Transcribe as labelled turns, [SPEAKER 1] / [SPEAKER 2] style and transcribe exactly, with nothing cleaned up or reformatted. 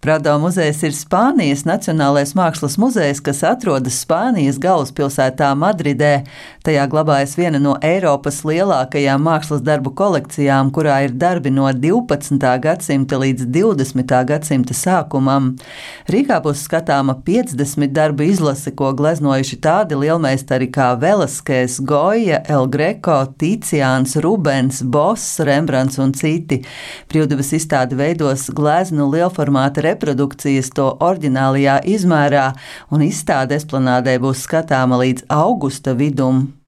[SPEAKER 1] Prado muzejs ir Spānijas Nacionālais mākslas muzejs, kas atrodas Spānijas galvaspilsētā Madridē. Tajā glabājas viena no Eiropas lielākajām mākslas darbu kolekcijām, kurā ir darbi no divpadsmitā gadsimta līdz divdesmitā gadsimta sākumam. Rīgā būs skatāma piecdesmit darbu izlase, ko gleznojuši tādi lielmeistari kā Velaskēs, Goja, El Greco, Ticiāns, Rubens, Boss, Rembrandts un citi. Brīvdabas izstāde veidos gleznu lielformāta reprodukcijas to oriģinālajā izmērā, un izstāde Esplanādē būs skatāma līdz augusta vidum.